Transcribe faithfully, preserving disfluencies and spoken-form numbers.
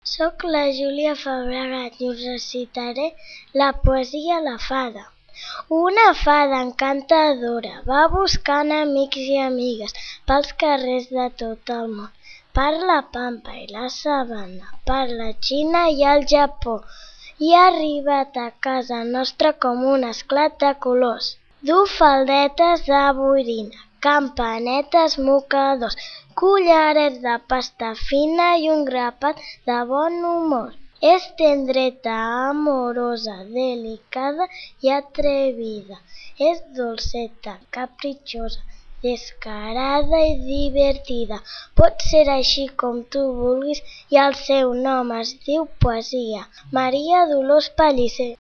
Soc la Júlia Fabregat i us recitaré la poesia La fada. Una fada encantadora va buscant amics i amigues pels carrers de tot el món, per la pampa i la sabana, per la Xina i el Japó, i ha arribat a casa nostra com un esclat de colors. Du faldetes de boirina, campanetes, mocadors, collarets de pasta fina i un grapat de bon humor. És tendreta, amorosa, delicada i atrevida. És dolceta, capritxosa, descarada i divertida. Pot ser així com tu vulguis i el seu nom es diu poesia. Maria Dolors Pellicer.